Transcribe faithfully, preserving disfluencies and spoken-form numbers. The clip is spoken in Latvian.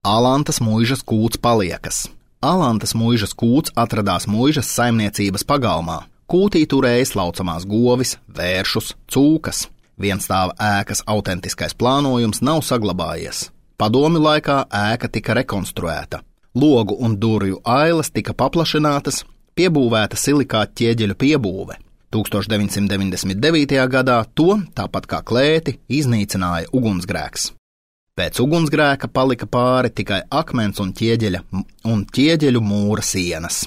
Alantas muižas kūts paliekas. Alantas muižas kūts atradās muižas saimniecības pagalmā. Kūtī turēja slaucamās govis, vēršus, cūkas. Vienstāva ēkas autentiskais plānojums nav saglabājies. Padomju laikā ēka tika rekonstruēta. Logu un durvju ailas tika paplašinātas, piebūvēta silikāta ķieģeļu piebūve. tūkstoš deviņsimt deviņdesmit devītajā gadā to, tāpat kā klēti, iznīcināja ugunsgrēks. Pēc ugunsgrēka palika pāri tikai akmens un ķieģeļa un ķieģeļu mūra sienas.